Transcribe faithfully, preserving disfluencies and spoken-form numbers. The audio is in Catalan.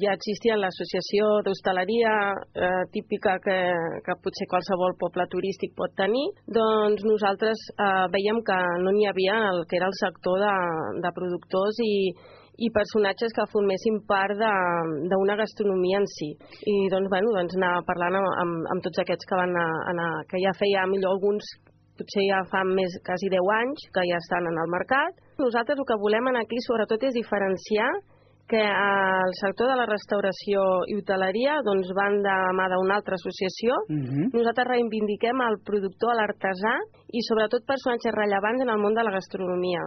Ja existia l'associació d'hostaleria eh, típica que, que potser qualsevol poble turístic pot tenir, doncs nosaltres eh, veiem que no n'hi havia el que era el sector de, de productors i, i personatges que formessin part d'una gastronomia en si. I doncs, bueno, doncs anar parlant amb, amb, amb tots aquests que van anar, anar, que ja feia millor alguns, potser ja fa més, quasi deu anys, que ja estan en el mercat. Nosaltres el que volem aquí sobretot és diferenciar que el sector de la restauració i hoteleria doncs, van de mà d'una altra associació. Uh-huh. Nosaltres reivindiquem el productor, l'artesà i sobretot personatges rellevants en el món de la gastronomia.